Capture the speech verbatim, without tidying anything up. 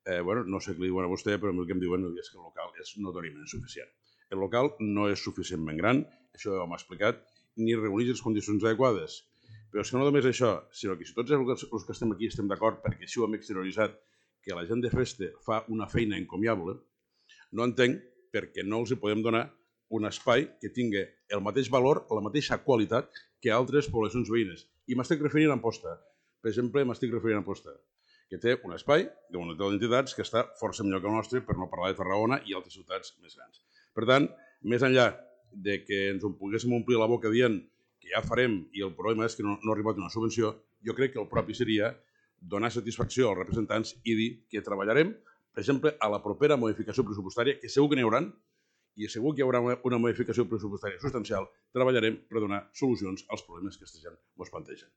no sé què li diuen a vostè, però el que em diuen és que el local és notoriament insuficient. El local no és suficientment gran, això ja ho hem explicat, ni reuneix les condicions adequades. Però és que no només això, sinó que si tots els que estem aquí estem d'acord, perquè així ho hem exterioritzat, que la gent de Festa fa una feina encomiable, no entenc per què no els podem donar un espai que tingui el mateix valor, la mateixa qualitat que altres poblacions veïnes. I m'estic referint a Amposta. Per exemple, m'estic referint a Amposta, que té un espai d'una d'entitats que està força millor que el nostre, per no parlar de Tarragona i altres ciutats més grans. Per tant, més enllà de que ens poguéssim omplir la boca dient que ja farem i el problema és que no, no ha arribat una subvenció, jo crec que el propi seria donar satisfacció als representants i dir que treballarem, per exemple, a la propera modificació pressupostària, que segur que n'hi haurà, i segur que hi haurà una modificació pressupostària substancial, treballarem per donar solucions als problemes que aquesta gent ens plantegen.